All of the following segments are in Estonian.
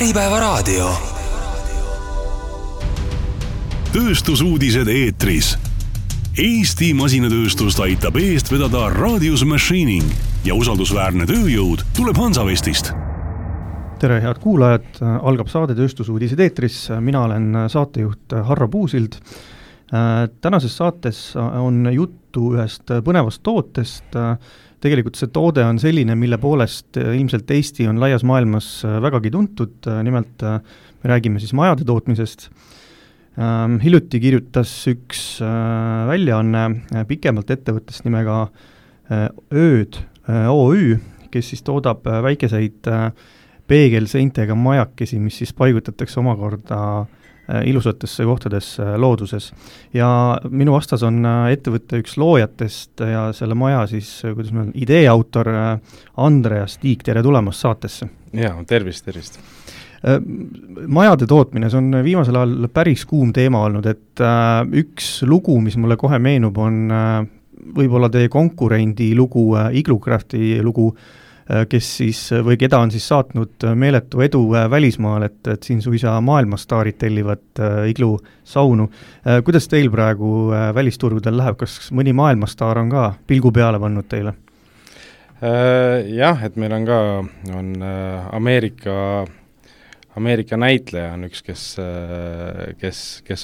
Äripäevaraadio. Tööstusuudised eetris. Eesti masinatööstust aitab eest vedada Radius Machining ja usaldusväärne tööjõud tuleb Hansavestist. Tere, head kuulajad, algab saade Tööstusuudised eetris. Mina olen saatejuht Harro Puusild. Tänases saates on juttu ühest põnevast tootest. Tegelikult see toode on selline, mille poolest ilmselt Eesti on laias maailmas vägagi tuntud. Nimelt me räägime siis majade tootmisest. Hiljuti kirjutas üks väljaanne pikemalt ettevõttest nimega Ööd OÜ, kes siis toodab väikeseid peegelseintega majakesi, mis siis paigutatakse omakorda ilusatesse kohtadesse looduses. Ja minu vastas on ettevõtte üks loojatest ja selle maja siis, kuidas meil on, ideeautor Andreas Tiik, tere tulemast saatesse. Ja, tervist. Majade tootmine, see on viimasel ajal päris kuum teema olnud, et üks lugu, mis mulle kohe meenub, on võib-olla teie konkurendi lugu, Iglocrafti lugu, kes siis, või keda on siis saatnud meeletu edu välismaal, et siin suisa maailmastaarid tellivad Iglu saunu. Kuidas teil praegu välisturgudel läheb? Kas mõni maailmastaar on ka pilgu peale pannud teile? Jah, et meil on ka Ameerika näitleja on üks, kes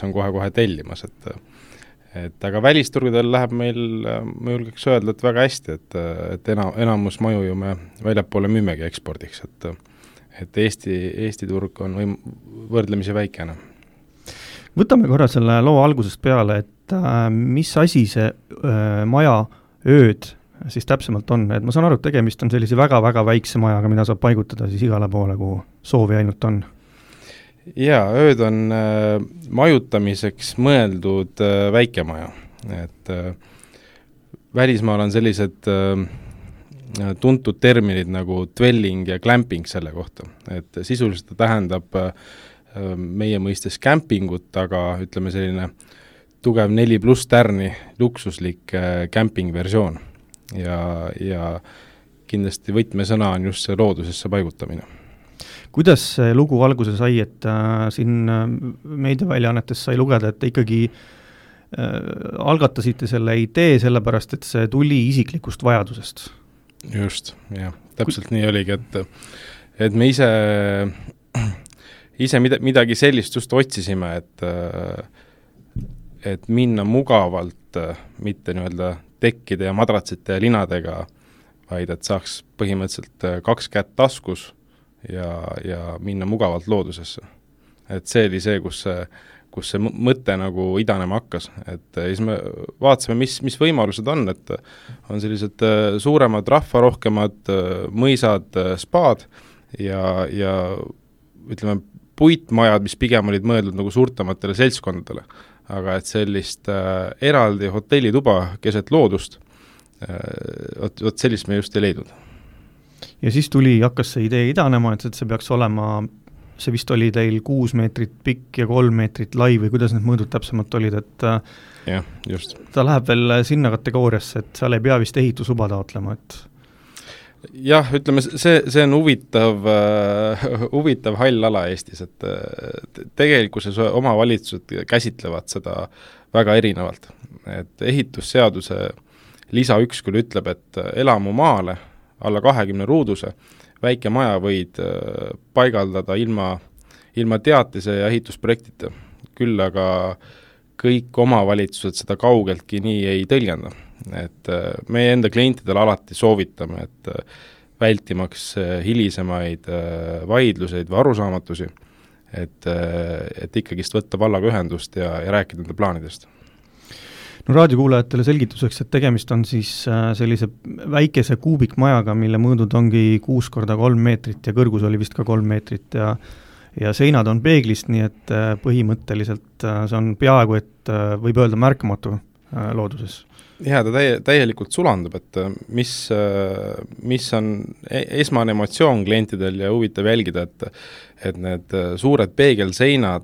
on kohe tellimas, aga välisturgudel läheb meil, ma julgeks öelda, et väga hästi, et enamus maju ju me väljapoole müümegi ekspordiks, et Eesti turg on võrdlemisi väikene. Võtame korra selle loo algusest peale, et mis asi see maja Ööd siis täpsemalt on, et ma saan aru, et tegemist on sellise väga-väga väikse majaga, mida saab paigutada siis igale poole, kuhu soovi ainult on. Jaa, Ööd on majutamiseks mõeldud väikemaja, et välismaal on sellised tuntud terminid nagu dwelling ja glamping selle kohta, et sisuliselt tähendab meie mõistes campingut, aga ütleme selline tugev 4+ tärni luksuslik camping versioon ja kindlasti võtmesõna on just see loodusesse paigutamine. Kuidas see lugu alguse sai, et siin meediaväljaannetes sai lugeda, et ikkagi algatasite selle idee sellepärast, et see tuli isiklikust vajadusest? Just, jah. Täpselt nii oligi, et me ise midagi sellist just otsisime, et minna mugavalt, mitte nii-öelda tekkide ja madratsite ja linadega, vaid et saaks põhimõtteliselt 2 kätt taskus ja minna mugavalt loodusesse. Et see oli see, kus see mõte nagu idanema hakkas. Et siis me vaatasime, mis võimalused on, et on sellised suuremad rahvarohkemad mõisad, spaad ja ütleme puitmajad, mis pigem olid mõeldud nagu suurtematele seltskondadele. Aga et sellist eraldi hotellituba keset loodust, vot sellist me just ei leidnud. Ja siis hakkas see idee idanema, et see peaks olema, see vist oli teil 6 meetrit pikk ja 3 meetrit lai või kuidas need mõõdud täpsemalt olid, et jah, just. Ta läheb veel sinna kategooriasse, et seal ei pea vist ehitusuba taotlema, et jah, ütleme, see on huvitav hall ala Eestis, et tegelikkuses omavalitsused käsitlevad seda väga erinevalt. Et ehitusseaduse lisa 1 küll ütleb, et elamu maale alla 20 ruuduse väike maja võid paigaldada ilma teatise ja ehitusprojektita. Küll aga kõik omavalitsused seda kaugeltki nii ei tõlgenda. Et meie enda klientidele alati soovitame, et vältimaks hilisemaid vaidluseid või arusaamatusi, et ikkagist võtta vallaga ühendust ja rääkida nende plaanidest. No raadiokuulajatele selgituseks, et tegemist on siis sellise väikese kuubikmajaga, mille mõõdud ongi 6x3 meetrit ja kõrgus oli vist ka 3 meetrit ja seinad on peeglist, nii et põhimõtteliselt see on peaaegu, et võib öelda märkamatu looduses. Ja ta täielikult sulandub, et mis on esmane emotsioon klientidel ja huvitav jälgida, et need suured peegelseinad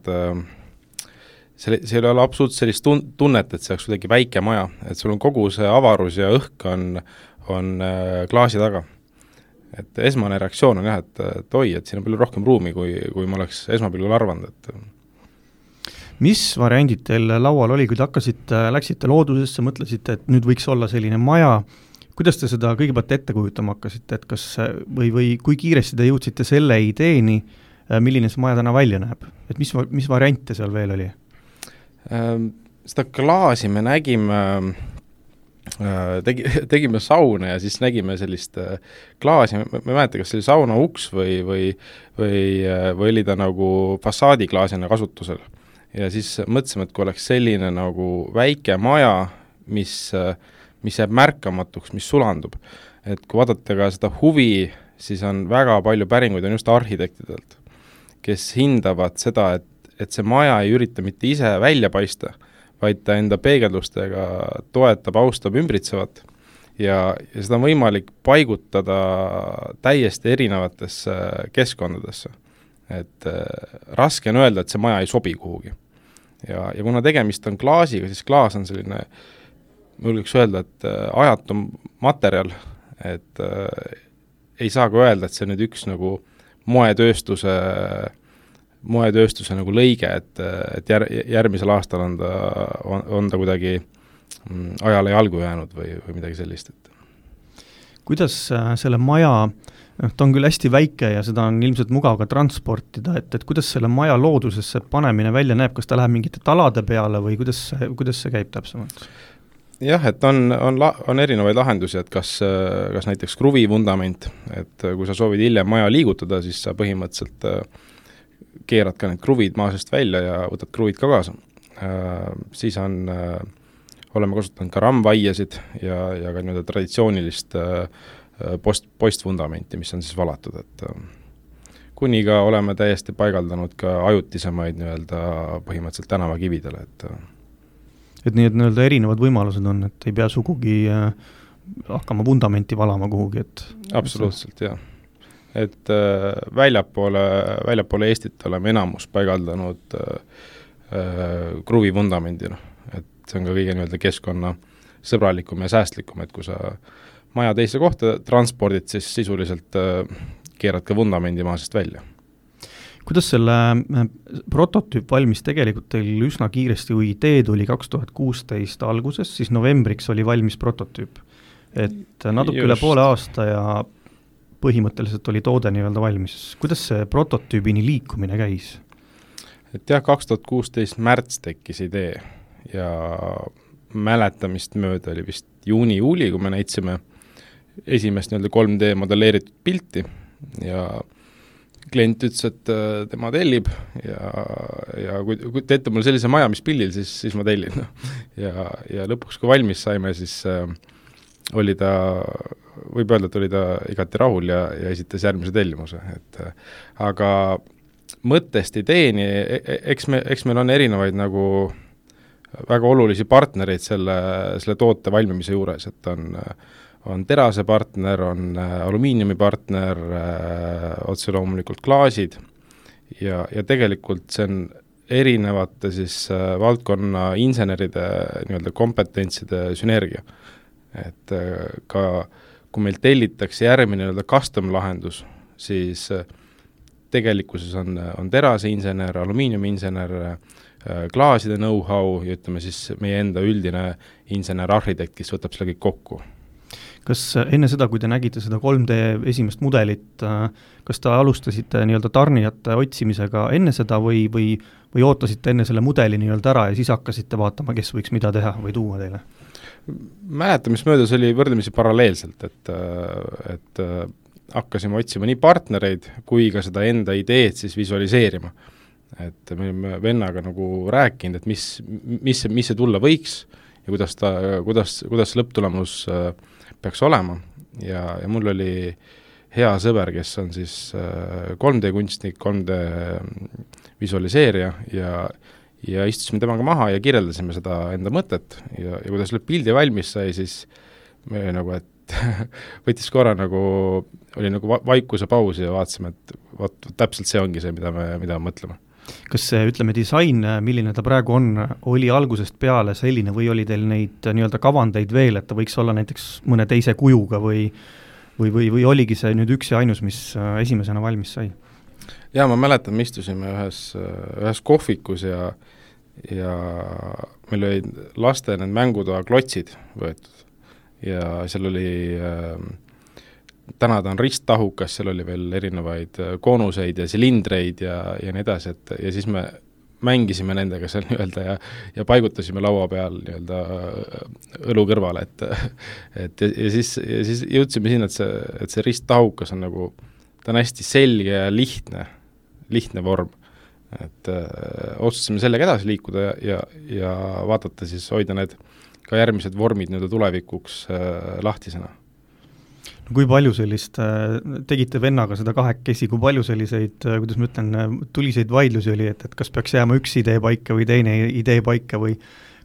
see ei ole absoluutselt sellist tunnet, et see oleks kuidagi väike maja, et sul on kogu see avarus ja õhk on klaasi taga. et esmane reaktsioon on jah, et oi, et siin on palju rohkem ruumi, kui ma oleks esmapilgul arvanud, et mis variandid teil laual oli, kui te läksite loodusesse, mõtlesite, et nüüd võiks olla selline maja, kuidas te seda kõigepealt ette kujutama hakkasite, et kas või kui kiiresti te jõudsite selle ideeni, milline see maja täna välja näeb? Et mis variante seal veel oli? Seda klaasi me nägime, tegime sauna ja siis nägime sellist klaasi, ma ei mäleta, kas see oli sauna uks või oli ta nagu fassaadiklaasina kasutusel. Ja siis mõtlesime, et kui oleks selline nagu väike maja, mis jääb märkamatuks, mis sulandub. Et kui vaadata ka seda huvi, siis on väga palju päringuid on just arhitektidelt, kes hindavad seda, et see maja ei ürita mitte ise välja paista, vaid ta enda peegeldustega toetab, austab ümbritsevat ja seda on võimalik paigutada täiesti erinevatesse keskkondadesse. Et raske on öelda, et see maja ei sobi kuhugi. Ja kuna tegemist on klaasiga, siis klaas on selline, ma julgeks öelda, et ajatum materjal, et ei saa ka öelda, et see on nüüd üks nagu moetööstuse nagu lõige, et järgmisel aastal on ta kuidagi ajale jalgu jäänud või midagi sellist. Kuidas selle maja, ta on küll hästi väike ja seda on ilmselt mugav ka transportida, et kuidas selle maja loodusesse panemine välja näeb, kas ta läheb mingite talade peale või kuidas see käib täpsemalt? Jah, et on erinevaid lahendusi, et kas näiteks kruvivundament, et kui sa soovid hiljem maja liigutada, siis sa põhimõtteliselt keerad ka need kruvid maa seest välja ja võtad kruvid ka kaasa. Siis oleme kasutanud ka rammvaiesid ja ka nii-öelda traditsioonilist postvundamenti, mis on siis valatud, et kuni ka oleme täiesti paigaldanud ka ajutisemaid nii-öelda põhimõtteliselt tänavakividele, et nii, et nii-öelda erinevad võimalused on, et ei pea sugugi hakkama vundamenti valama kuhugi, et absoluutselt, jah. Et väljapoole Eestit oleme enamus paigaldanud kruvivundamendina, et see on ka kõige nii-öelda keskkonna sõbralikum ja säästlikum, et kui sa maja teise kohta transpordid, siis sisuliselt keerad ka vundamendi maa seest välja. Kuidas selle prototüüp valmis tegelikult teil üsna kiiresti, kui idee tuli 2016 alguses, siis novembriks oli valmis prototüüp. Et natuke üle poole aasta ja põhimõtteliselt oli toode nii-öelda valmis. Kuidas see prototüübini liikumine käis? Et jah, 2016 märts tekkis idee ja mäletamist mööda oli vist juuni-juuli, kui me näitsime esimest nii-öelda 3D modelleeritud pilti ja klient ütles, et tema tellib ja kui teete mulle sellise maja, mis pildil, siis ma tellin. Ja lõpuks, kui valmis saime, siis oli ta, võib öelda, et oli ta igati rahul ja esitas järgmise tellimuse. Aga mõttest ideeni, eks meil on erinevaid nagu väga olulisi partnereid selle toote valmimise juures, et on terase partner, on alumiiniumi partner, otse loomulikult klaasid ja tegelikult see on erinevate siis valdkonna inseneride nii-öelda kompetentside sünergia. Et ka kui meil tellitakse järgmine nii-öelda custom lahendus, siis tegelikkuses on terase insener, alumiiniumi insener, klaaside know-how ja ütleme siis meie enda üldine insener-arhitekt, kes võtab selle kõik kokku. Kas enne seda, kui te nägite seda 3D esimest mudelit, kas te alustasite nii-öelda tarnijate otsimisega enne seda või ootasite enne selle mudeli nii-öelda ära ja siis hakkasite vaatama, kes võiks mida teha või tuua teile? Mäletamismöödas oli võrdlemisi paralleelselt, et hakkasime otsima nii partnereid kui ka seda enda ideed siis visualiseerima. Et me olime vennaga nagu rääkinud, et mis see tulla võiks ja kuidas lõpptulemus peaks olema ja mul oli hea sõber, kes on siis 3D kunstnik, 3D visualiseerija ja istusime temaga maha ja kirjeldasime seda enda mõtet ja kui ta selle pildi valmis sai, siis me nagu, et võttis korra nagu, oli nagu vaikuse paus ja vaatasime, et täpselt see ongi see, mida me mõtleme. Kas see, ütleme, disain, milline ta praegu on, oli algusest peale selline või oli teil neid nii-öelda kavandeid veel, et ta võiks olla näiteks mõne teise kujuga või või oligi see nüüd üks ja ainus, mis esimesena valmis sai? Jaa, ma mäletan, me istusime ühes kohvikus ja meil olid laste need mängutoa klotsid võetud ja seal oli täna ta on risttahukas, seal oli veel erinevaid koonuseid ja silindreid ja nii edasi, ja siis me mängisime nendega seal nii-öelda ja paigutasime laua peal nii-öelda õlu kõrvale, et siis jõudsime sinna, et see risttahukas on nagu, ta on hästi selge ja lihtne vorm, et otsustasime sellega edasi liikuda ja vaadata siis, hoida need ka järgmised vormid nii-öelda tulevikuks lahtisena. No kui palju sellist, tegite vennaga seda kahekesi, kui palju selliseid, kuidas ma ütlen, tuliseid vaidlusi oli, et kas peaks jääma üks idee paika või teine idee paika või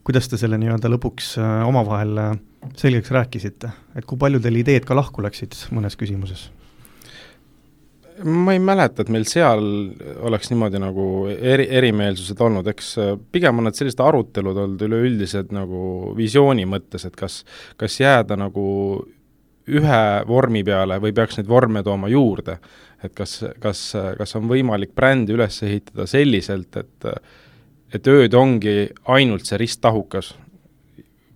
kuidas te selle nii-öelda lõpuks omavahel selgeks rääkisite? Et kui palju teil ideed ka lahku läksid mõnes küsimuses? Ma ei mäleta, et meil seal oleks niimoodi nagu erimeelsused olnud, eks pigem on need sellised arutelud olnud üleüldised nagu visiooni mõttes, et kas jääda nagu ühe vormi peale või peaks neid vorme tooma juurde, et kas on võimalik brändi üles ehitada selliselt, et ööd ongi ainult see risttahukas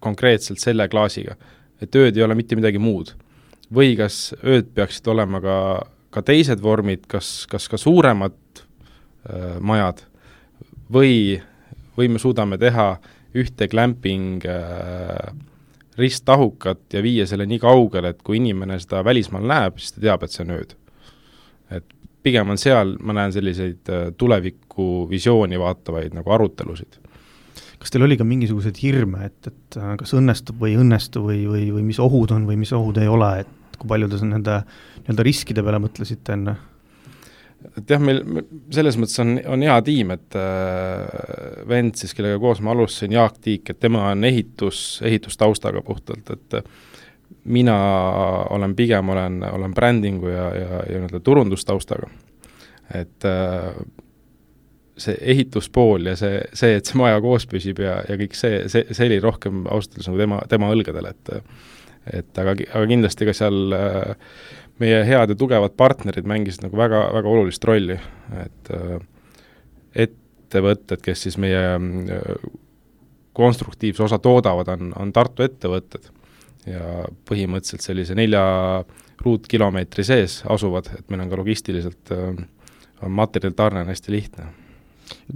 konkreetselt selle klaasiga, et ööd ei ole mitte midagi muud, või kas ööd peaksid olema ka teised vormid, kas ka suuremad majad või me suudame teha ühte glamping risttahukat ja viia selle nii kaugele, et kui inimene seda välismaal näeb, siis ta teab, et see on ööd. Et pigem on seal, ma näen selliseid tuleviku visiooni vaatavaid nagu arutelusid. Kas teil oli ka mingisugused hirme, et kas õnnestub või mis ohud on või mis ohud ei ole, et kui palju te nende riskide peale mõtlesite enne? Et jah, meil selles mõttes on hea tiim, et vend siis, kellega koos ma alustasin, Jaak Tiik, et tema on ehitustaustaga puhtalt, et mina olen brändingu ja turundustaustaga. Et see ehituspool ja see, et see maja koos püsib ja kõik see oli rohkem austalus nagu tema õlgadel, et aga kindlasti ka seal meie head ja tugevad partnerid mängisid nagu väga, väga olulist rolli, et ettevõtted, kes siis meie konstruktiivse osa toodavad, on Tartu ettevõtted ja põhimõtteliselt sellise 4 ruutkilomeetri sees asuvad, et meil on ka logistiliselt on materjalitarne hästi lihtne.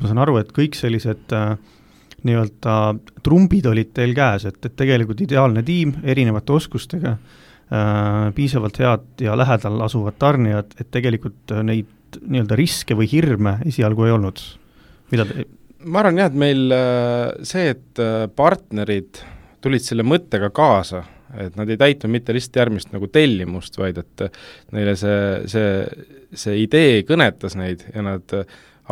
Ma saan aru, et kõik sellised nii-öelda trumbid olid teil käes, et tegelikult ideaalne tiim erinevate oskustega, piisavalt head ja lähedal asuvad tarnijad, et tegelikult neid nii-öelda riske või hirme esialgu ei olnud. Ma arvan jah, et meil see, et partnerid tulid selle mõttega kaasa, et nad ei täitnud mitte lihtsalt järgmist nagu tellimust, vaid et neile see idee kõnetas neid ja nad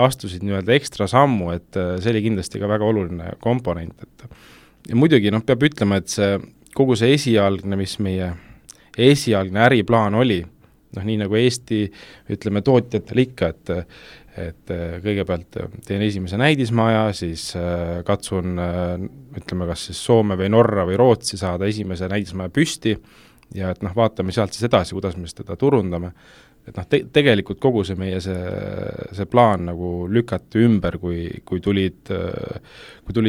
astusid nii-öelda ekstra sammu, et see oli kindlasti ka väga oluline komponent. Ja muidugi peab ütlema, et kogu see esialgne, mis meie esialgne äriplaan oli, nii nagu Eesti, ütleme, tootjatel ikka, et kõigepealt teen esimese näidismaja, siis katsun, ütleme, kas siis Soome või Norra või Rootsi saada esimese näidismaja püsti ja et vaatame sealt siis edasi, kuidas me seda turundame. Et tegelikult kogu see meie see plaan nagu lükati ümber, kui tulid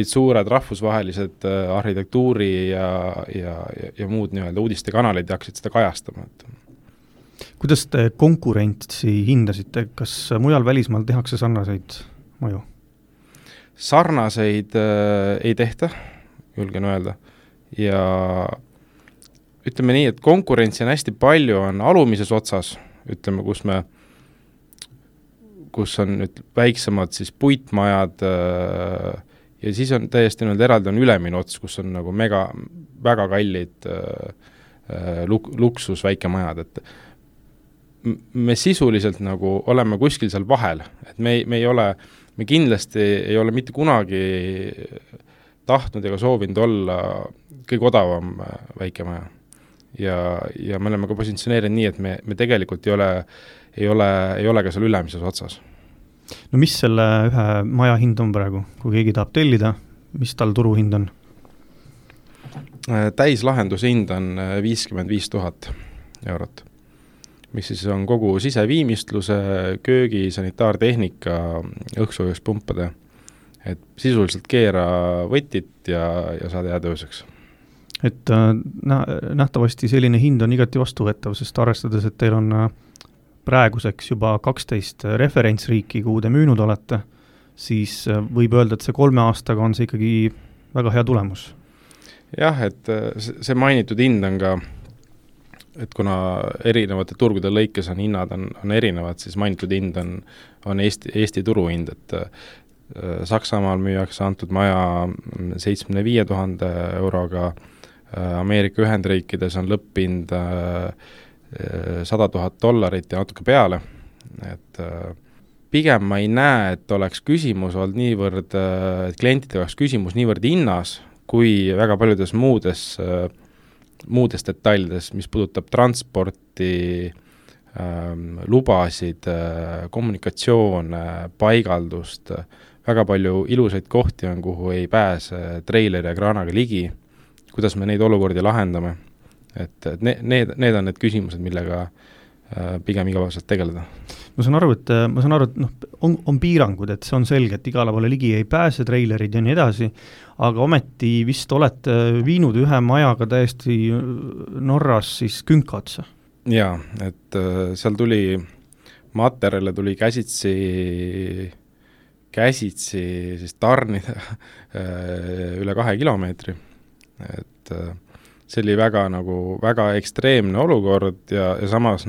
suured rahvusvahelised arhitektuuri ja muud nii-öelda uudistekanalid ja hakkasid seda kajastama. Kuidas te konkurentsi hindasite? Kas mujal välismaal tehakse sarnaseid maju? Sarnaseid ei tehta, julgen öelda. Ja ütleme nii, et konkurentsi on hästi palju, on alumises otsas, ütleme, kus on väiksemad siis puitmajad ja siis on täiesti eraldi on ülemine ots, kus on nagu väga kallid luksus väikemajad, et me sisuliselt nagu oleme kuskil seal vahel, et me kindlasti ei ole mitte kunagi tahtnud ega soovinud olla kõige odavam väikemaja. Ja me oleme ka positsioneerinud nii, et me tegelikult ei ole ka seal ülemises otsas. No mis selle ühe maja hind on praegu, kui keegi tahab tellida, mis tal turuhind on? Täislahenduse hind on 55 000 eurot. mis siis on kogu siseviimistluse, köögi, sanitaartehnika, õhksoojuspumpada. Et sisuliselt keera võtit ja saada jääda ööseks. Et nähtavasti selline hind on igati vastuvõetav, sest arvestades, et teil on praeguseks juba 12 referentsriiki, kuhu te müünud olete, siis võib öelda, et see 3 aastaga on see ikkagi väga hea tulemus. Jah, et see mainitud hind on ka, et kuna erinevate turgude lõikes on hinnad on erinevad, siis mainitud hind on Eesti turuhind, et Saksamaal müüakse antud maja 75 000 euroga, Ameerika Ühendriikides on lõpphind $100 000 ja natuke peale, et pigem ma ei näe, et oleks küsimus olnud niivõrd, et klientidel oleks küsimus niivõrd hinnas, kui väga paljudes muudes detailides, mis puudutab transporti, lubasid, kommunikatsioone, paigaldust, väga palju ilusaid kohti on, kuhu ei pääse treileri ja kraanaga ligi, kuidas me neid olukordi lahendame, et need on need küsimused, millega pigem igapäevaselt tegeleda. Ma saan aru, et on piirangud, et see on selge, et igale poole ligi ei pääse, treilerid ja nii edasi, aga ometi vist olete viinud ühe majaga täiesti Norras siis künka otsa. Jaa, et seal tuli materjale tuli käsitsi siis tarnida üle 2 kilomeetri, et see oli väga ekstreemne olukord ja samas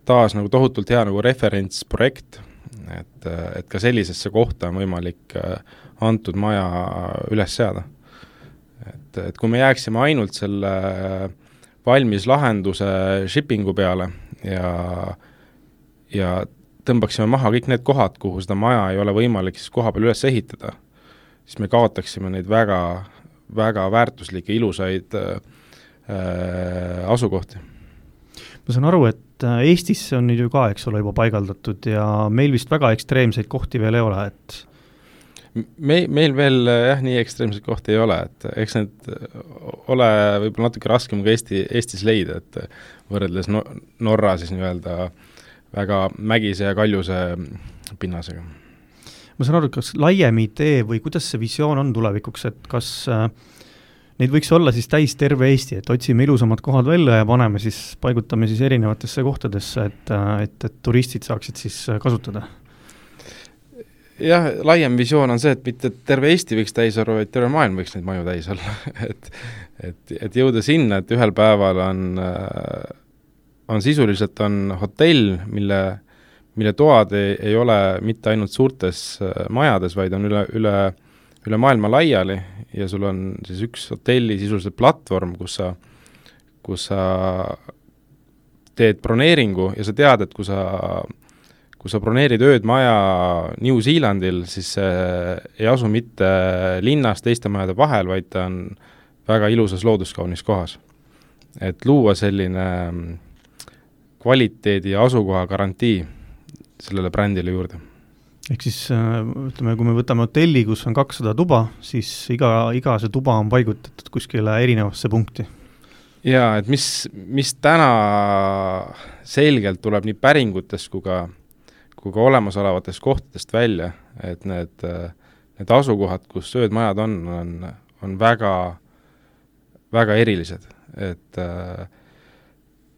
taas tohutult hea referentsprojekt, et ka sellisesse kohta on võimalik antud maja üles seada. Et kui me jääksime ainult selle valmis lahenduse shippingu peale ja tõmbaksime maha kõik need kohad, kuhu seda maja ei ole võimalik siis koha peal üles ehitada, siis me kaotaksime neid väga, väga väärtuslikke ilusaid asukohti. Ma saan aru, et Eestisse on nüüd ju ka, eks ole, juba paigaldatud ja meil vist väga ekstreemseid kohti veel ei ole, et meil veel nii ekstreemseid kohti ei ole, et eks need ole võib-olla natuke raskem ka Eestis leida, et võrreldes Norra siis nii-öelda väga mägise ja kaljuse pinnasega. Ma saan aru, kas laiem idee või kuidas see visioon on tulevikuks, et kas neid võiks olla siis täis terve Eesti, et otsime ilusamad kohad välja ja paigutame siis erinevatesse kohtadesse, et turistid saaksid siis kasutada? Jah, laiem visioon on see, et mitte terve Eesti võiks täis olla, vaid terve maailm võiks neid maju täis olla. et jõuda sinna, et ühel päeval on sisuliselt hotell, mille toad ei ole mitte ainult suurtes majades, vaid on üle maailma laiali ja sul on siis üks hotelli sisuliselt platvorm, kus sa teed broneeringu ja sa tead, et kui sa broneerid ööd maja New Zealandil, siis see ei asu mitte linnas teiste majade vahel, vaid ta on väga ilusas looduskaunis kohas. Et luua selline kvaliteedi ja asukoha garantii sellele brändile juurde. Ehk siis ütleme, kui me võtame hotelli, kus on 200 tuba, siis iga see tuba on paigutatud kuskile erinevasse punkti. Jaa, et mis täna selgelt tuleb nii päringutest kui ka olemasolevatest kohtadest välja, et need asukohad, kus söödmajad on väga, väga erilised. Et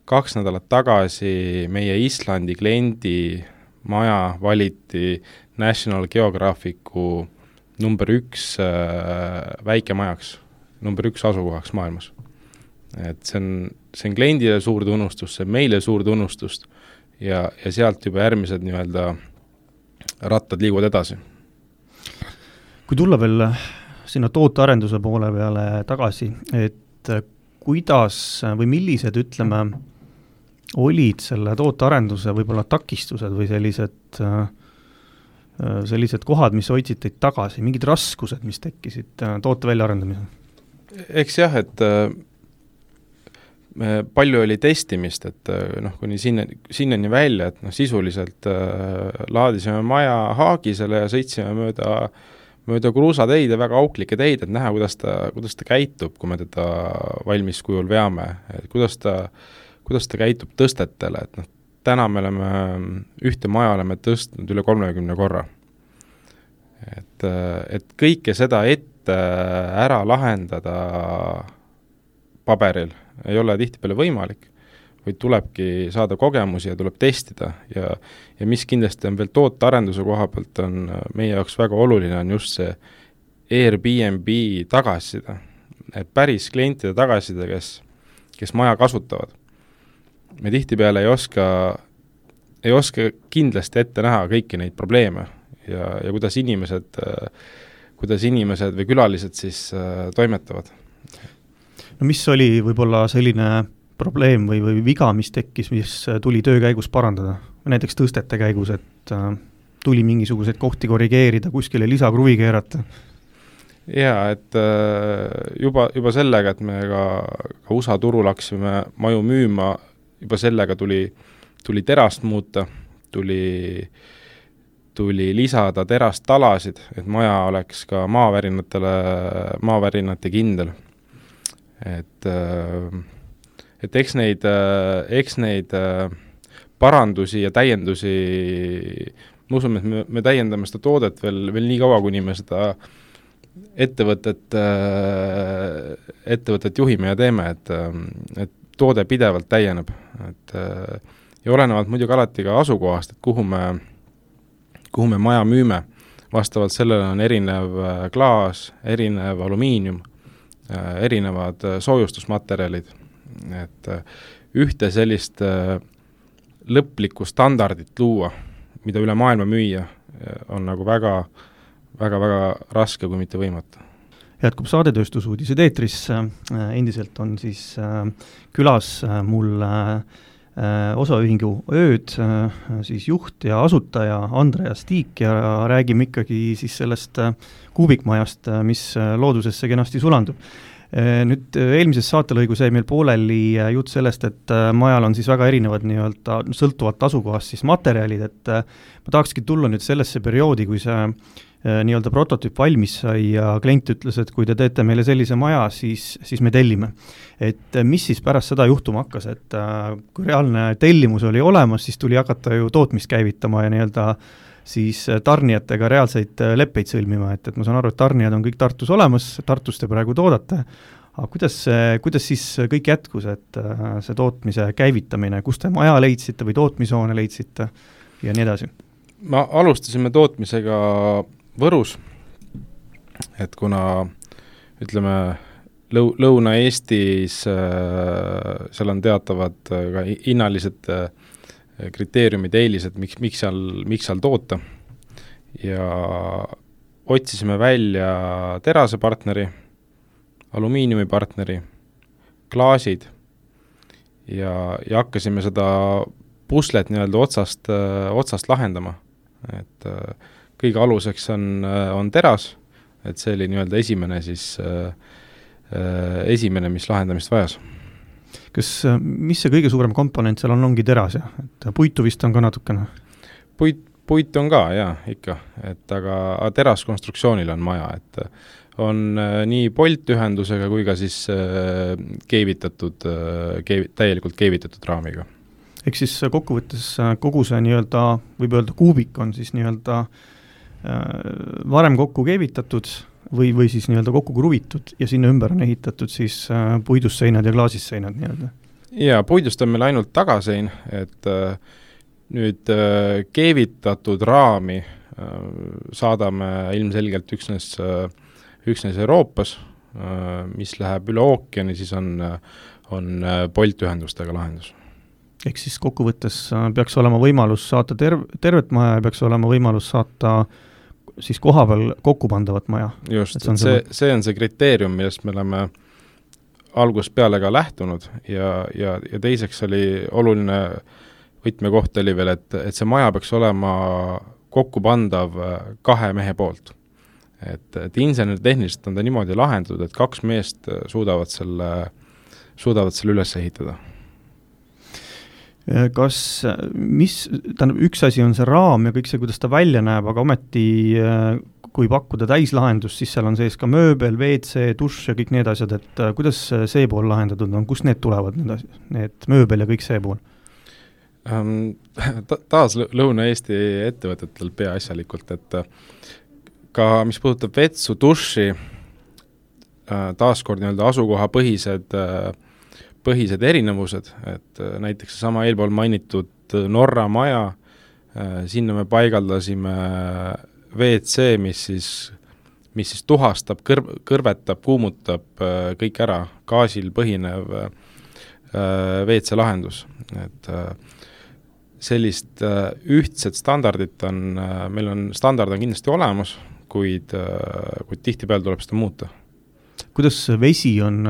2 nädalat tagasi meie Islandi kliendi maja valiti National Geographicu number 1 väikemajaks, number 1 asukohaks maailmas. Et see on kliendile suur tunnustus, see meile suur tunnustust ja sealt juba järgmised nii-öelda rattad liiguvad edasi. Kui tulla veel sinna tootearenduse poole peale tagasi, et kuidas või millised, ütleme, olid selle tootearenduse võib-olla takistused või sellised kohad, mis hoidsid teid tagasi, mingid raskused, mis tekkisid toote väljaarendamisel? Eks jah, et palju oli testimist, et kuni sinnani välja, et sisuliselt laadisime maja haagisele ja sõitsime mööda kruusateid ja väga auklikke teid, et näha, kuidas ta käitub, kui me teda valmis kujul veame, et kuidas kuidas ta käitub tõstetele, et noh, täna me oleme ühte maja oleme tõstnud üle 30 korra. Et kõike seda ette ära lahendada paberil ei ole tihtipeale võimalik, vaid tulebki saada kogemusi ja tuleb testida ja mis kindlasti on veel tootearenduse koha pealt on meie jaoks väga oluline, on just see Airbnb tagasiside, et päris klientide tagasiside, kes maja kasutavad. Me tihtipeale ei oska kindlasti ette näha kõiki neid probleeme ja kuidas inimesed või külalised siis toimetavad. No mis oli võib-olla selline probleem või viga, mis tekkis, mis tuli töö käigus parandada? Näiteks tõstete käigus, et tuli mingisuguseid kohti korrigeerida, kuskile lisakruvi keerata? Jaa, et juba sellega, et me ka USA turul hakkasime maju müüma, juba sellega tuli terast muuta, tuli lisada terast talasid, et maja oleks ka maavärinate kindel. Et eks neid parandusi ja täiendusi, ma usun, et me täiendame seda toodet veel nii kaua, kuni me seda ettevõtet juhime ja teeme, et toode pidevalt täieneb. Ja olenevalt muidugi alati ka asukohast, et kuhu me maja müüme. Vastavalt sellele on erinev klaas, erinev alumiinium, erinevad soojustusmaterjalid. Et ühte sellist lõplikku standardit luua, mida üle maailma müüa, on nagu väga raske, kui mitte võimatu. Jätkub saadetööstusuudised eetris, endiselt on siis külas mul osaühingu Ööd siis juht ja asutaja Andreas Tiik ja räägime ikkagi siis sellest kuubikmajast, mis loodusesse kenasti sulandub. Nüüd eelmises saatelõigus jäi meil pooleli jutt sellest, et majal on siis väga erinevad nii-öelda sõltuvat asukohast siis materjalid, et ma tahakski tulla nüüd sellesse perioodi, kui see nii-öelda prototüüp valmis sai ja klient ütles, et kui te teete meile sellise maja, siis me tellime. Et mis siis pärast seda juhtuma hakkas, et kui reaalne tellimus oli olemas, siis tuli hakata ju tootmist käivitama ja nii-öelda siis tarnijatega reaalseid leppeid sõlmima, et ma saan aru, et tarnijad on kõik Tartus olemas, Tartus te praegu toodate, aga kuidas siis kõik jätkus, et see tootmise käivitamine, kus te maja leidsite või tootmishoone leidsite ja nii edasi? Ma alustasime tootmisega Võrus, et kuna ütleme Lõuna-Eestis seal on teatavad ka hinnalised kriteeriumid, eelised, miks seal toota ja otsisime välja terasepartneri, alumiiniumipartneri, klaasid ja hakkasime seda puslet nii-öelda otsast lahendama, et kõige aluseks on teras, et see oli nii-öelda esimene, mis lahendamist vajas. Mis see kõige suurem komponent seal ongi teras, ja? Et puitu vist on ka natukene? Puit on ka, jaa, ikka. Et aga teraskonstruktsioonil on maja, et on nii poltühendusega kui ka siis täielikult keevitatud raamiga. Ehk siis kokkuvõttes kogu see nii-öelda, võib öelda kuubik on siis nii-öelda varem kokku keevitatud või siis nii-öelda kokku kruvitud ja sinna ümber on ehitatud siis puidust seinad ja klaasist seinad nii-öelda? Jaa, puidust on meil ainult tagasein, et nüüd keevitatud raami saadame ilmselgelt üksnes Euroopas, mis läheb üle ookeani, siis on poltühendustega lahendus. Ehk siis kokkuvõttes peaks olema võimalus saata tervet maja ja peaks olema võimalus saata siis kohapeal kokkupandavat maja. Just, see on see kriteerium, millest me oleme algusest peale ka lähtunud ja teiseks oli oluline võtmekoht oli veel, et see maja peaks olema kokkupandav 2 mehe poolt. Et inseneritehniliselt on ta niimoodi lahendatud, et 2 meest suudavad selle üles ehitada. Üks asi on see raam ja kõik see, kuidas ta välja näeb, aga ometi kui pakkuda täislahendust, siis seal on sees ka mööbel, WC, dušš ja kõik need asjad, et kuidas see pool lahendatud on, kust need tulevad, need mööbel ja kõik see pool? Taas Lõuna-Eesti ettevõtetel peaasjalikult, et ka mis puudutab vetsu, duši, taaskord nii-öelda asukoha põhised erinevused, et näiteks sama eelpool mainitud Norra maja, sinna me paigaldasime WC, mis siis tuhastab, kõrvetab, kuumutab kõik ära, gaasil põhinev WC lahendus, et sellist ühtset standardit meil on standard on kindlasti olemas, kuid tihtipeale tuleb seda muuta. Kuidas vesi on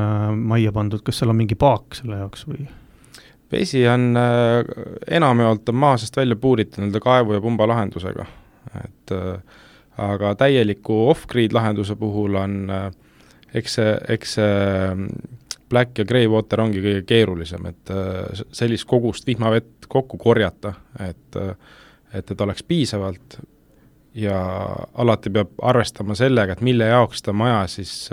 majja pandud, kas seal on mingi paak selle jaoks või? Vesi on enamjaolt maa seest välja puuritud nii-öelda kaevu ja pumba lahendusega, et aga täieliku off-grid lahenduse puhul on eks see black ja grey water ongi kõige keerulisem, et sellist kogust vihmavett kokku korjata, et oleks piisavalt ja alati peab arvestama sellega, et mille jaoks seda maja siis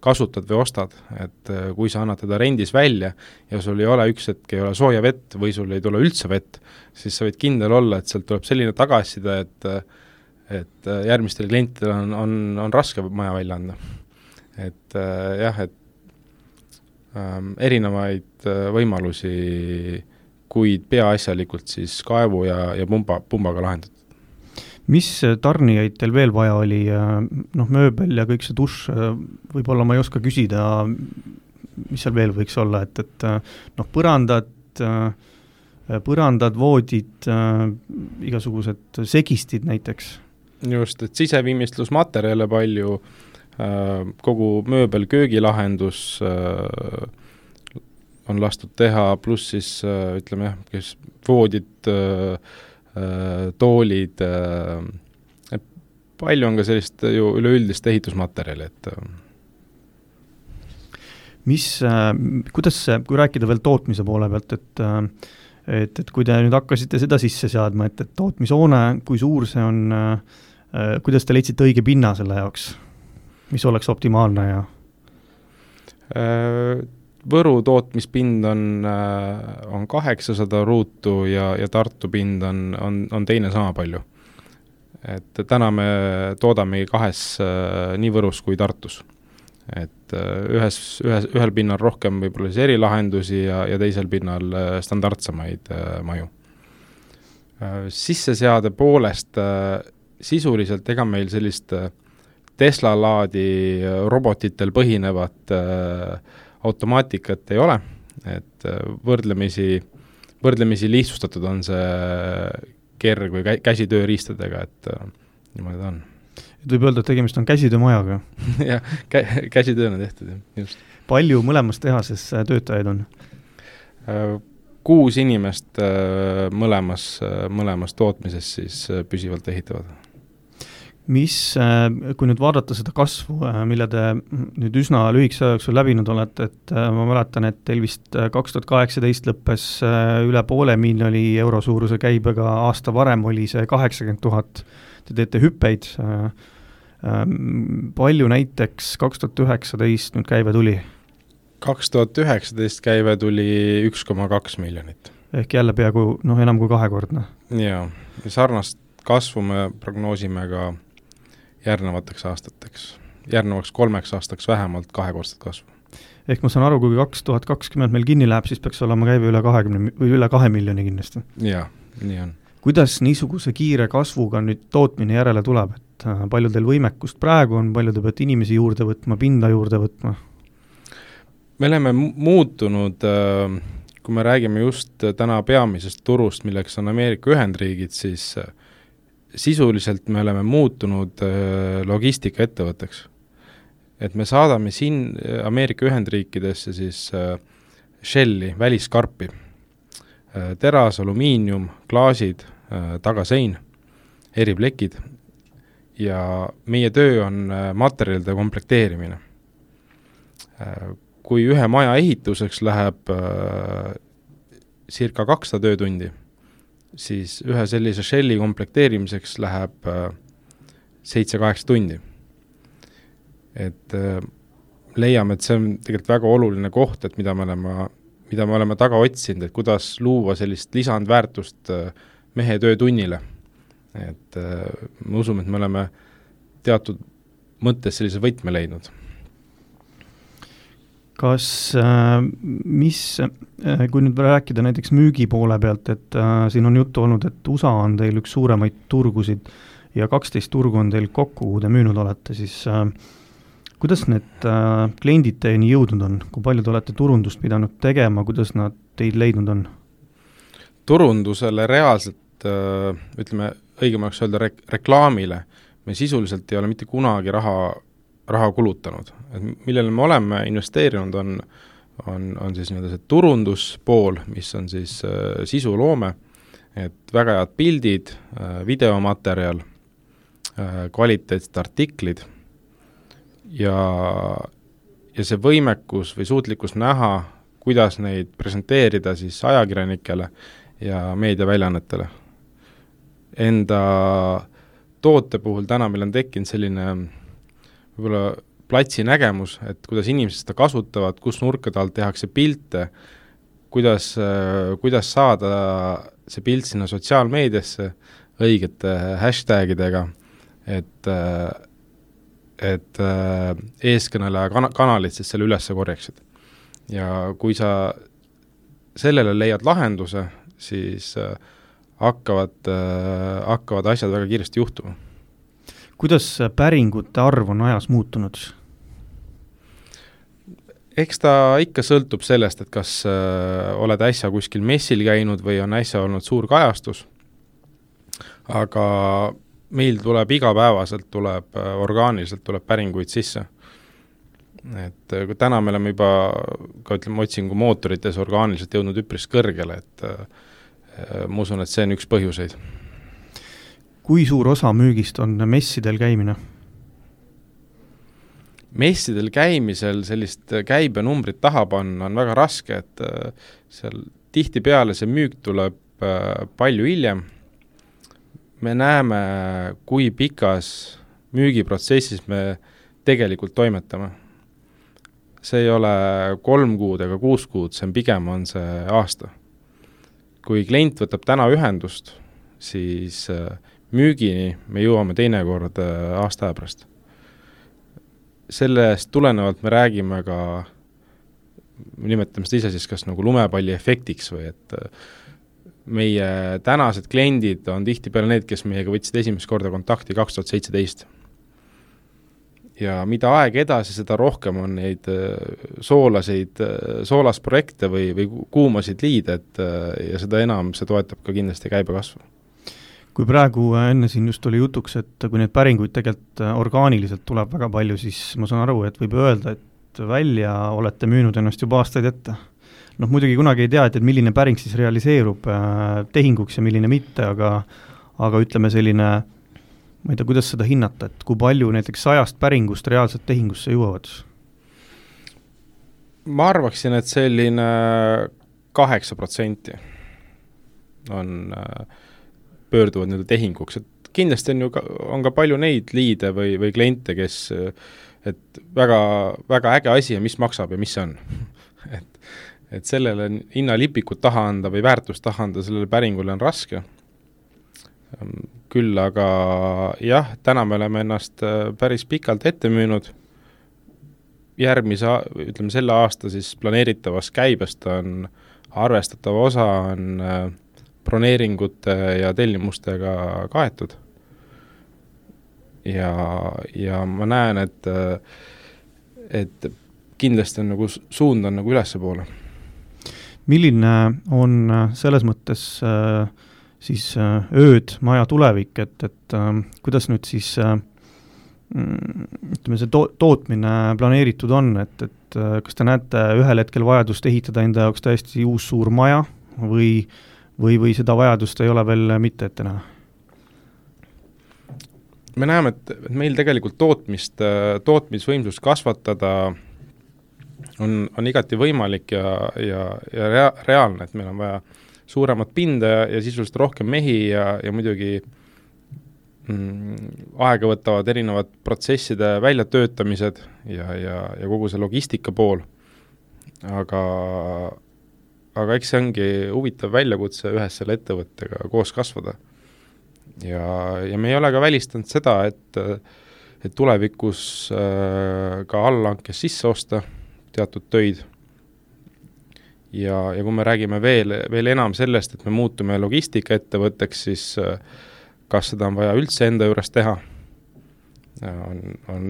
kasutad või ostad, et kui sa annad teda rendis välja ja sul ei ole üks hetk ei ole sooja vett või sul ei tule üldse vett, siis sa võid kindel olla, et sealt tuleb selline tagasiside, et järgmistel klientidel on raske maja välja anda. Et jah, et erinevaid võimalusi, kuid peaasjalikult siis kaevu ja pumbaga lahendatud. Mis tarnijaid teil veel vaja oli, mööbel ja kõik see dušš, võib-olla ma ei oska küsida, mis seal veel võiks olla, et põrandad, voodid, igasugused segistid näiteks? Just, et siseviimistlusmaterjale palju, kogu mööbel köögilahendus on lastud teha, pluss siis ütleme jah, kes voodid, toolid, palju on ka sellist ju üleüldist ehitusmaterjali, et kuidas see, kui rääkida veel tootmise poole pealt, et kui te nüüd hakkasite seda sisse seadma, et tootmishoone, kui suur see on, kuidas te leidsite õige pinna selle jaoks, mis oleks optimaalne ja Võru tootmispind on 800 ruutu ja Tartu pind on teine sama palju. Et täna me toodamegi kahes nii Võrus kui Tartus. Et ühel pinnal rohkem võib-olla erilahendusi ja teisel pinnal standardsamaid maju. Sisseseade poolest sisuliselt ega meil sellist Tesla-laadi robotitel põhinevat automaatikat ei ole, et võrdlemisi lihtsustatud on see kerg või käsitööriistadega, et niimoodi ta on. Et võib öelda, et tegemist on käsitöömajaga? jah, käsitööna tehtud, just. Palju mõlemas tehases töötajaid on? 6 inimest mõlemas tootmises siis püsivalt ehitavad. Kui nüüd vaadata seda kasvu, mille te nüüd üsna lühikese jooksul läbinud olete, et ma mäletan, et teil vist 2018 lõppes üle €500 000 suuruse käibega, aasta varem oli see 80 000, te teete hüppeid. Palju näiteks 2019 nüüd käive tuli? 2019 käive tuli 1,2 miljonit. Ehk jälle peaaegu enam kui kahekordne. Jaa, sarnast kasvu me prognoosime ka järgnevateks aastateks. Järgnevaks 3 aastaks vähemalt 2-kordset kasvu. Ehk ma saan aru, kui 2020 meil kinni läheb, siis peaks olema käive üle 2 miljoni kindlasti. Jaa, nii on. Kuidas niisuguse kiire kasvuga nüüd tootmine järele tuleb? Et palju teil võimekust praegu on, palju te peate inimesi juurde võtma, pinda juurde võtma? Me oleme muutunud, kui me räägime just täna peamisest turust, milleks on Ameerika Ühendriigid, siis sisuliselt me oleme muutunud logistikaettevõtteks. Et me saadame siin Ameerika Ühendriikidesse siis shelli, väliskarpi, teras, alumiinium, klaasid, tagasein, eriplekid ja meie töö on materjalide komplekteerimine. Kui ühe maja ehituseks läheb circa 200 töötundi, siis ühe sellise shelli komplekteerimiseks läheb 7-8 tundi. Et leiame, et see on tegelikult väga oluline koht, et mida me oleme taga otsinud, et kuidas luua sellist lisandväärtust mehe töötunnile. Et me usume, et me oleme teatud mõttes sellise võtme leidnud. Kas, kui nüüd rääkida näiteks müügi poole pealt, et siin on juttu olnud, et USA on teil üks suuremaid turgusid ja 12 turgu on teil kokku, kuhu te müünud olete, siis kuidas need kliendid teieni jõudnud on? Kui palju te olete turundust pidanud tegema, kuidas nad teid leidnud on? Turundusele reaalselt, ütleme, õigemaks öelda reklaamile, me sisuliselt ei ole mitte kunagi raha kulutanud. Et millele me oleme investeerinud on siis nii-öelda see turunduspool, mis on siis sisuloome, et väga head pildid, videomaterjal, kvaliteetsed artiklid ja see võimekus või suutlikkus näha, kuidas neid presenteerida siis ajakirjanikele ja meediaväljaannetele. Enda toote puhul täna meil on tekkinud selline võib-olla platsi nägemus, et kuidas inimesed seda kasutavad, kus nurkade alt tehakse pilte, kuidas saada see pilt sinna sotsiaalmeediasse õigete hashtagidega, et eeskõneleja kanalid siis selle üles korjaksid. Ja kui sa sellele leiad lahenduse, siis hakkavad asjad väga kiiresti juhtuma. Kuidas päringute arv on ajas muutunud? Eks ta ikka sõltub sellest, et kas oled äsja kuskil messil käinud või on äsja olnud suur kajastus. Aga meil tuleb igapäevaselt, orgaaniliselt tuleb päringuid sisse. Et kui täna me oleme juba, otsingu mootorites orgaaniliselt jõudnud üpris kõrgele, et ma usun, et see on üks põhjuseid. Kui suur osa müügist on messidel käimine? Messidel käimisel sellist käibenumbrit taha panna on väga raske, et seal tihtipeale see müük tuleb palju hiljem. Me näeme, kui pikas müügiprotsessis me tegelikult toimetame. See ei ole 3 kuud ega 6 kuud, see pigem on see aasta. Kui klient võtab täna ühendust, siis müügini me jõuame teinekord aasta pärast. Sellest tulenevalt me räägime ka, nimetame seda ise siis kas nagu lumepalli efektiks või et meie tänased kliendid on tihtipeale need, kes meiega võtsid esimest korda kontakti 2017. Ja mida aeg edasi, seda rohkem on neid soolasprojekte või kuumasid liide, ja seda enam see toetab ka kindlasti käibekasvu. Kui praegu enne siin just oli jutuks, et kui neid päringuid tegelikult orgaaniliselt tuleb väga palju, siis ma saan aru, et võib öelda, et välja olete müünud ennast juba aastaid ette. Muidugi kunagi ei tea, et milline päring siis realiseerub tehinguks ja milline mitte, aga ütleme selline, ma ei tea, kuidas seda hinnata, et kui palju näiteks 100 päringust reaalselt tehingusse jõuavad? Ma arvaksin, et selline 8% on pöörduvad nüüd tehinguks, et kindlasti on ka palju neid liide või kliente, kes, et väga, väga äge asi ja mis maksab ja mis see on. et sellele hinnalipikut taha anda või väärtust taha anda sellele päringule on raske. Küll aga jah, täna me oleme ennast päris pikalt ette müünud. Ütleme selle aasta siis planeeritavas käibest on arvestatav osa on broneeringute ja tellimustega kaetud. Ja ma näen, et kindlasti on nagu suund on nagu ülesse poole. Milline on selles mõttes siis ööd maja tulevik, et kuidas nüüd siis ütleme see tootmine planeeritud on, et kas te näete ühel hetkel vajadust ehitada enda jaoks täiesti uus suur maja või seda vajadust ei ole veel mitte ette näha? Me näeme, et meil tegelikult tootmisvõimsust kasvatada on igati võimalik ja reaalne, et meil on vaja suuremat pinda ja sisuliselt rohkem mehi ja muidugi aega võtavad erinevad protsesside väljatöötamised ja kogu see logistika pool, aga eks see ongi huvitav väljakutse ühes selle ettevõttega koos kasvada. Ja me ei ole ka välistanud seda, et tulevikus ka allhankes sisse osta teatud töid. Ja kui me räägime veel enam sellest, et me muutume logistikaettevõtteks, siis kas seda on vaja üldse enda juures teha? On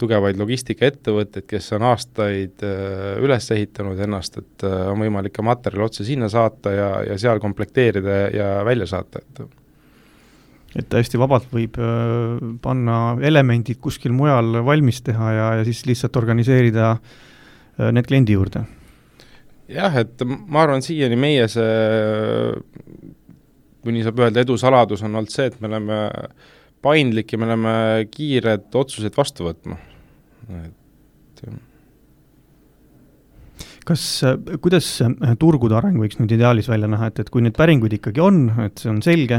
tugevaid logistikaettevõtteid, kes on aastaid üles ehitanud ennast, et on võimalik ka materjali otse sinna saata ja seal komplekteerida ja välja saata. Et täiesti vabalt võib panna elemendid kuskil mujal valmis teha ja siis lihtsalt organiseerida need kliendi juurde. Jah, et ma arvan, siiani meie see, kui nii saab öelda, edusaladus on olnud see, et me oleme paindlik ja me oleme kiired otsused vastu võtma. Kuidas turgude areng võiks nüüd ideaalis välja näha, et kui need päringuid ikkagi on, et see on selge,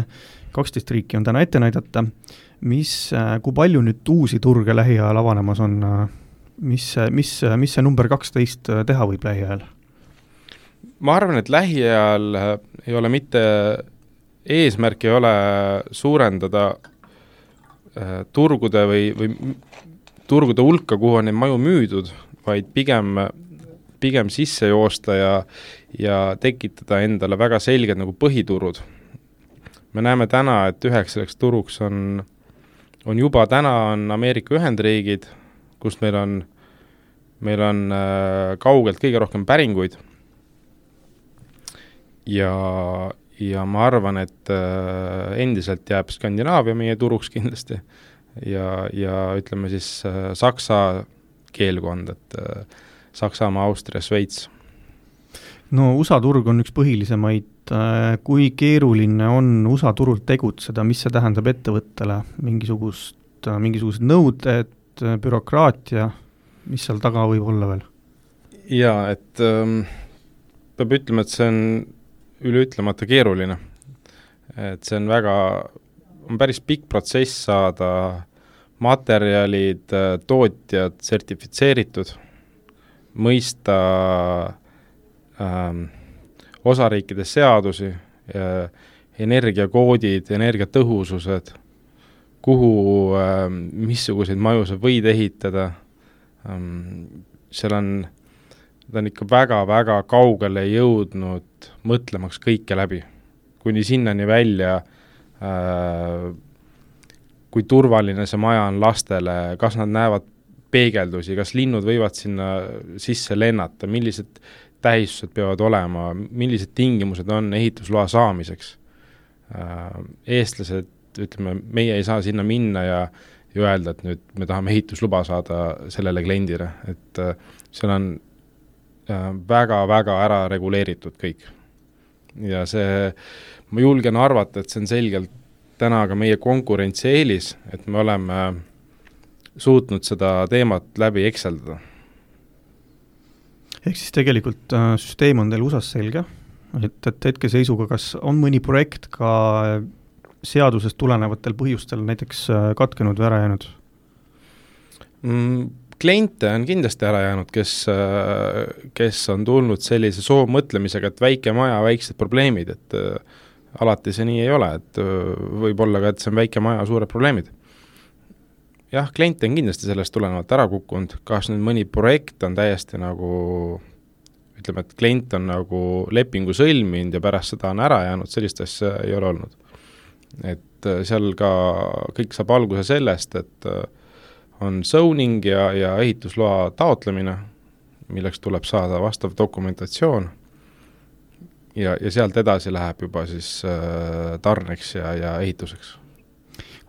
12 riiki on täna ette näidata, kui palju nüüd uusi turge lähiajal avanemas on, mis see number 12 teha võib lähiajal? Ma arvan, et lähiajal ei ole mitte eesmärk ei ole suurendada turgude või turgude hulka, kuhu on neid maju müüdud, vaid pigem sisse joosta ja tekitada endale väga selged nagu põhiturud. Me näeme täna, et üheks selleks turuks on juba täna on Ameerika Ühendriigid, kus meil on kaugelt kõige rohkem päringuid. Ja ma arvan, et endiselt jääb Skandinaavia meie turuks kindlasti ja ütleme siis Saksa keelkond, et Saksamaa, Austria, Šveits. No USA turg on üks põhilisemaid. Kui keeruline on USA turult tegutseda, mis see tähendab ettevõttele? Mingisugused nõuded, bürokraatia, mis seal taga võib olla veel? Jaa, et peab ütlema, et see on üleütlemata keeruline. Et see on päris pikk protsess saada materjalid, tootjad sertifitseeritud, mõista osariikide seadusi, energiakoodid, energiatõhusused, kuhu missuguseid maju sa võid ehitada. Seal on ikka väga-väga kaugele jõudnud mõtlemaks kõike läbi, kuni sinnani välja, kui turvaline see maja on lastele, kas nad näevad peegeldusi, kas linnud võivad sinna sisse lennata, millised tähistused peavad olema, millised tingimused on ehitusloa saamiseks. Eestlased, ütleme, meie ei saa sinna minna ja öelda, et nüüd me tahame ehitusluba saada sellele kliendile, et seal on väga-väga ära reguleeritud kõik. Ja see, ma julgen arvata, et see on selgelt täna ka meie konkurentsieelis, et me oleme suutnud seda teemat läbi ekseldada. Ehk siis tegelikult süsteem on teil USAs selge, et hetkeseisuga kas on mõni projekt ka seadusest tulenevatel põhjustel näiteks katkenud või ära jäänud? Kliente on kindlasti ära jäänud, kes on tulnud sellise soovmõtlemisega, et väike maja, väiksed probleemid, et alati see nii ei ole, et võib olla ka, et see on väike maja, suured probleemid. Jah, kliente on kindlasti sellest tulenevalt ära kukkunud, kas nüüd mõni projekt on täiesti nagu, ütleme, et klient on nagu lepingu sõlminud ja pärast seda on ära jäänud, sellist asja ei ole olnud. Et seal ka kõik saab alguse sellest, et on zoning ja ehitusloa taotlemine, milleks tuleb saada vastav dokumentatsioon ja sealt edasi läheb juba siis tarneks ja ehituseks.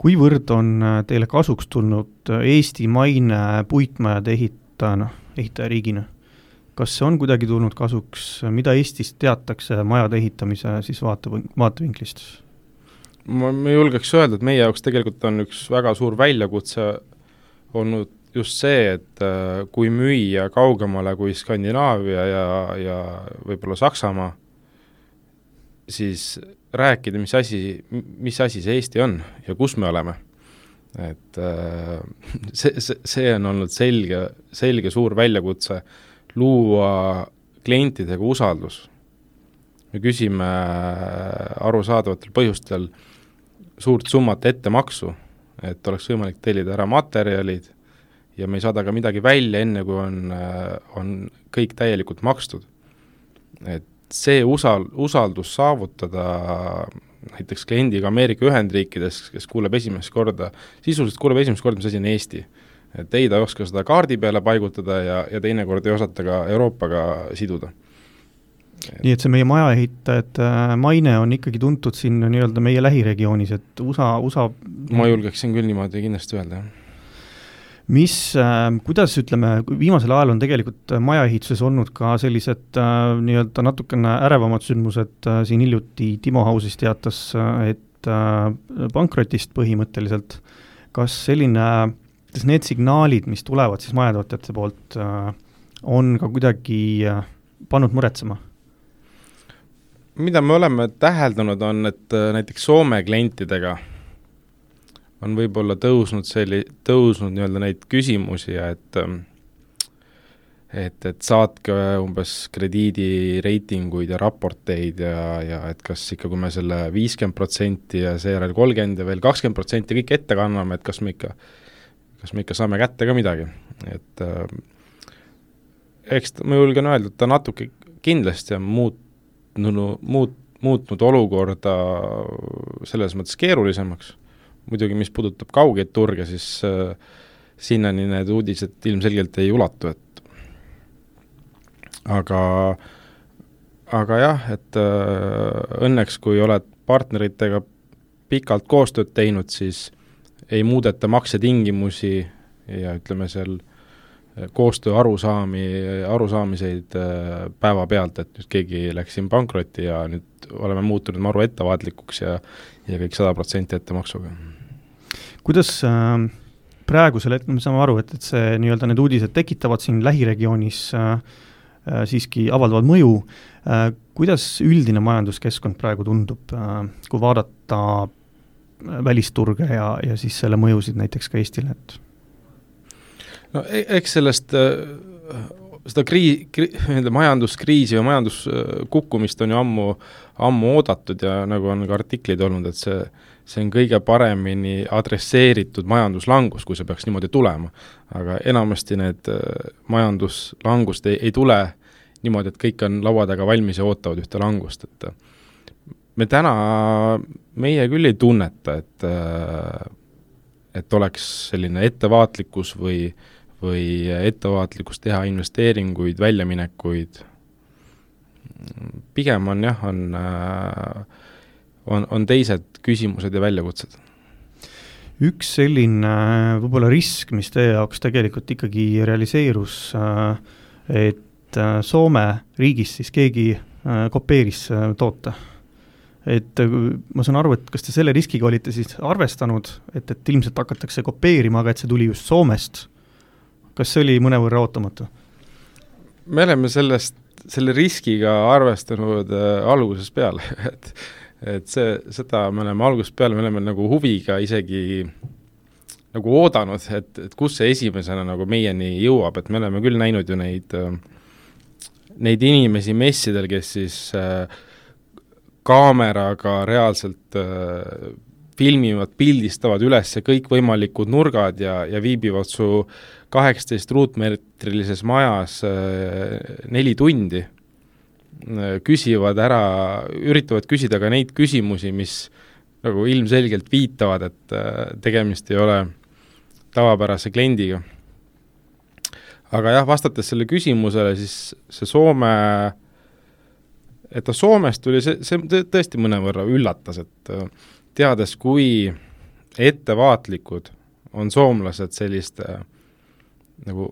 Kuivõrd on teile kasuks tulnud Eesti maine puitmajade ehitajariigina? Kas see on kuidagi tulnud kasuks, mida Eestis teatakse majade ehitamise siis vaatevinklist? Ma julgeks öelda, et meie jaoks tegelikult on üks väga suur väljakutse olnud just see, et kui müüa kaugemale kui Skandinaavia ja võib-olla Saksamaa, siis rääkida, mis asi see Eesti on ja kus me oleme. Et see on olnud selge suur väljakutse luua klientidega usaldus. Me küsime arusaadavatel põhjustel suurt summat ettemaksu, et oleks võimalik tellida ära materjalid ja me ei saada ka midagi välja enne, kui on kõik täielikult makstud. Et see usaldus saavutada näiteks kliendiga Ameerika Ühendriikides, kes sisuliselt kuuleb esimest korda, mis asi on Eesti. Et ei ta ei oska seda kaardi peale paigutada ja teinekord ei osata ka Euroopaga siduda. Nii et see meie majaehitajate maine on ikkagi tuntud siin nii-öelda meie lähiregioonis, et USA... Ma julgeksin küll niimoodi kindlasti öelda, kuidas ütleme, viimasel ajal on tegelikult majaehituses olnud ka sellised nii-öelda natukene ärevamad sündmused, siin hiljuti Timo Hausis teatas, et pankrotist põhimõtteliselt. Kas need signaalid, mis tulevad siis majatootjate poolt, on ka kuidagi pannud muretsema? Mida me oleme täheldanud on, et näiteks Soome klientidega on võib-olla tõusnud nii-öelda neid küsimusi, et saatke umbes krediidireitinguid ja raporteid ja et kas ikka, kui me selle 50% ja seejärel 30% ja veel 20% kõik ette kanname, et kas me ikka saame kätte ka midagi. Et eks ma julgen öelda, et ta natuke kindlasti on muutnud olukorda selles mõttes keerulisemaks. Muidugi, mis puudutab kaugeid turge, siis sinnani need uudised ilmselgelt ei ulatu. Aga jah, et õnneks kui oled partneritega pikalt koostööd teinud, siis ei muudeta maksetingimusi ja ütleme seal koostöö arusaamiseid päeva pealt, et nüüd keegi läks siin pankrotti ja nüüd oleme muutunud maru ettevaatlikuks ja kõik 100% ettemaksuga. Kuidas praegusel hetkel me saame aru, et see nii-öelda need uudised tekitavad siin lähiregioonis siiski avaldavad mõju. Kuidas üldine majanduskeskkond praegu tundub, kui vaadata välisturge ja siis selle mõjusid näiteks ka Eestile? No eks sellest seda majanduskriisi või majanduskukkumist on ju ammu oodatud ja nagu on ka artiklid olnud, et see on kõige paremini adresseeritud majanduslangus, kui see peaks niimoodi tulema. Aga enamasti need majanduslangust ei tule niimoodi, et kõik on laua taga valmis ja ootavad ühte langust. Et meie küll ei tunneta, et oleks selline ettevaatlikkus või ettevaatlikkus teha investeeringuid, väljaminekuid. Pigem on teised küsimused ja väljakutsed. Üks selline võib-olla risk, mis teie jaoks tegelikult ikkagi realiseerus, et Soome riigis siis keegi kopeeris toote. Et ma saan aru, et kas te selle riskiga olite siis arvestanud, et ilmselt hakatakse kopeerima, aga et see tuli just Soomest. Kas see oli mõnevõrra ootamatu? Me oleme selle riskiga arvestanud alguses peale, et seda me oleme algusest peale, me oleme nagu huviga isegi nagu oodanud, et kus see esimesena nagu meieni jõuab, et me oleme küll näinud ju neid inimesi messidel, kes siis kaameraga reaalselt filmivad, pildistavad üles kõikvõimalikud nurgad ja viibivad su 18 ruutmeetrilises majas 4 tundi, üritavad küsida ka neid küsimusi, mis nagu ilmselgelt viitavad, et tegemist ei ole tavapärase kliendiga. Aga jah, vastates selle küsimusele, siis see Soomest tuli, see tõesti mõnevõrra üllatas, et teades, kui ettevaatlikud on soomlased selliste nagu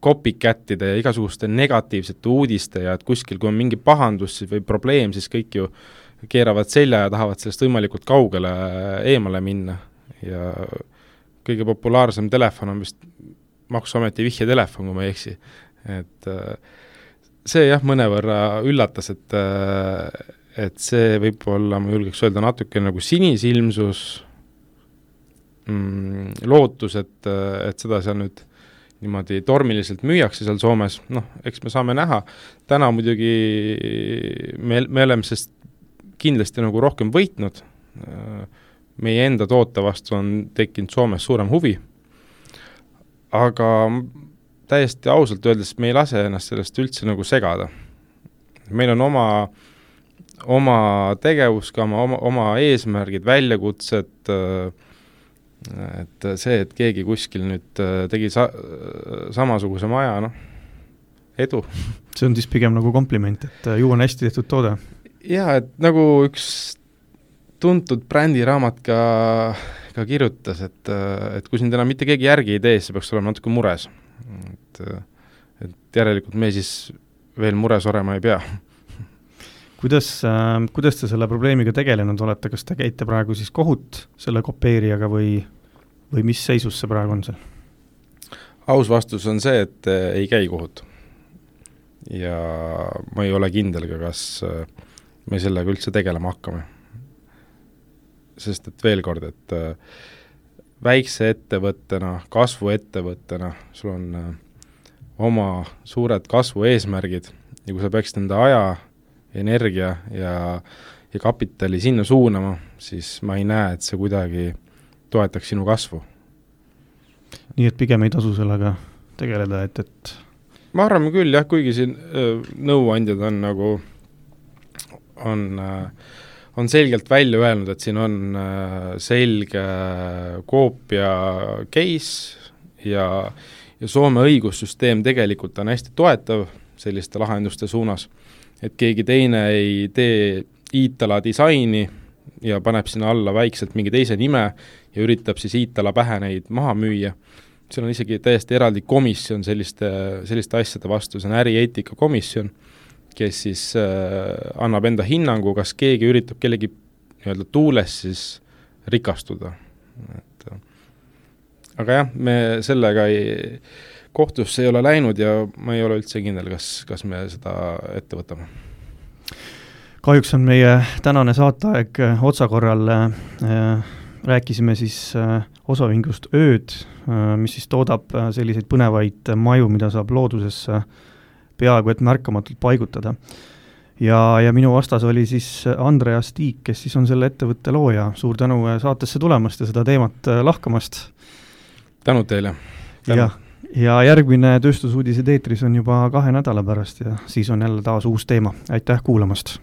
copycatide ja igasuguste negatiivsete uudiste ja et kuskil, kui on mingi pahandus või probleem, siis kõik ju keeravad selja ja tahavad sellest võimalikult kaugele eemale minna. Ja kõige populaarsem telefon on vist Maksuameti vihjetelefon, kui ma ei eksi. Et see jah mõnevõrra üllatas, et see võib-olla, ma julgeks öelda, natuke nagu sinisilmsus, lootus, et seda seal nüüd niimoodi tormiliselt müüakse seal Soomes, eks me saame näha. Täna muidugi me oleme sest kindlasti nagu rohkem võitnud. Meie enda toote vastu on tekkinud Soomes suurem huvi. Aga täiesti ausalt öeldes me ei lase ennast sellest üldse nagu segada. Meil on oma tegevuskama, oma eesmärgid, väljakutsed, et see, et keegi kuskil nüüd tegi samasuguse maja, edu. See on siis pigem nagu kompliment, et ju on hästi tehtud toode. Jaa, et nagu üks tuntud brändiraamat ka kirjutas, et kui siin täna mitte keegi järgi ei tee, siis peaks olema natuke mures. Et järelikult me siis veel mures olema ei pea. Kuidas te selle probleemiga tegelenud olete? Kas te käite praegu siis kohut selle kopeerijaga või mis seisus see praegu on seal? Aus vastus on see, et ei käi kohut. Ja ma ei ole kindel ka, kas me sellega üldse tegelema hakkame. Sest et veel kord, et väikse ettevõttena, kasvuettevõttena, sul on oma suured kasvu eesmärgid ja kui sa peaksid enda aja, energia ja kapitali sinna suunama, siis ma ei näe, et see kuidagi toetaks sinu kasvu. Nii et pigem ei tasu sellega tegeleda, et... Ma arvan küll, jah, kuigi siin nõuandjad on nagu on selgelt välja öelnud, et siin on selge koopia case ja Soome õigussüsteem tegelikult on hästi toetav selliste lahenduste suunas, et keegi teine ei tee Iitala disaini ja paneb sinna alla väikselt mingi teise nime ja üritab siis Iitala pähe neid maha müüa. Seal on isegi täiesti eraldi komisjon selliste asjade vastu, see on ärieetika komisjon, kes siis annab enda hinnangu, kas keegi üritab kellegi nii-öelda tuules siis rikastuda. Aga jah, me sellega kohtusse ei ole läinud ja ma ei ole üldse kindel, kas me seda ette võtame. Kahjuks on meie tänane saateaeg otsakorral. Rääkisime siis osaühingust Ööd, mis siis toodab selliseid põnevaid maju, mida saab loodusesse peaaegu et märkamatult paigutada. Ja minu vastas oli siis Andreas Tiik, kes siis on selle ettevõtte looja. Suur tänu saatesse tulemast ja seda teemat lahkamast. Tänud teile. Ja järgmine tööstusuudised eetris on juba 2 nädala pärast ja siis on jälle taas uus teema. Aitäh kuulamast!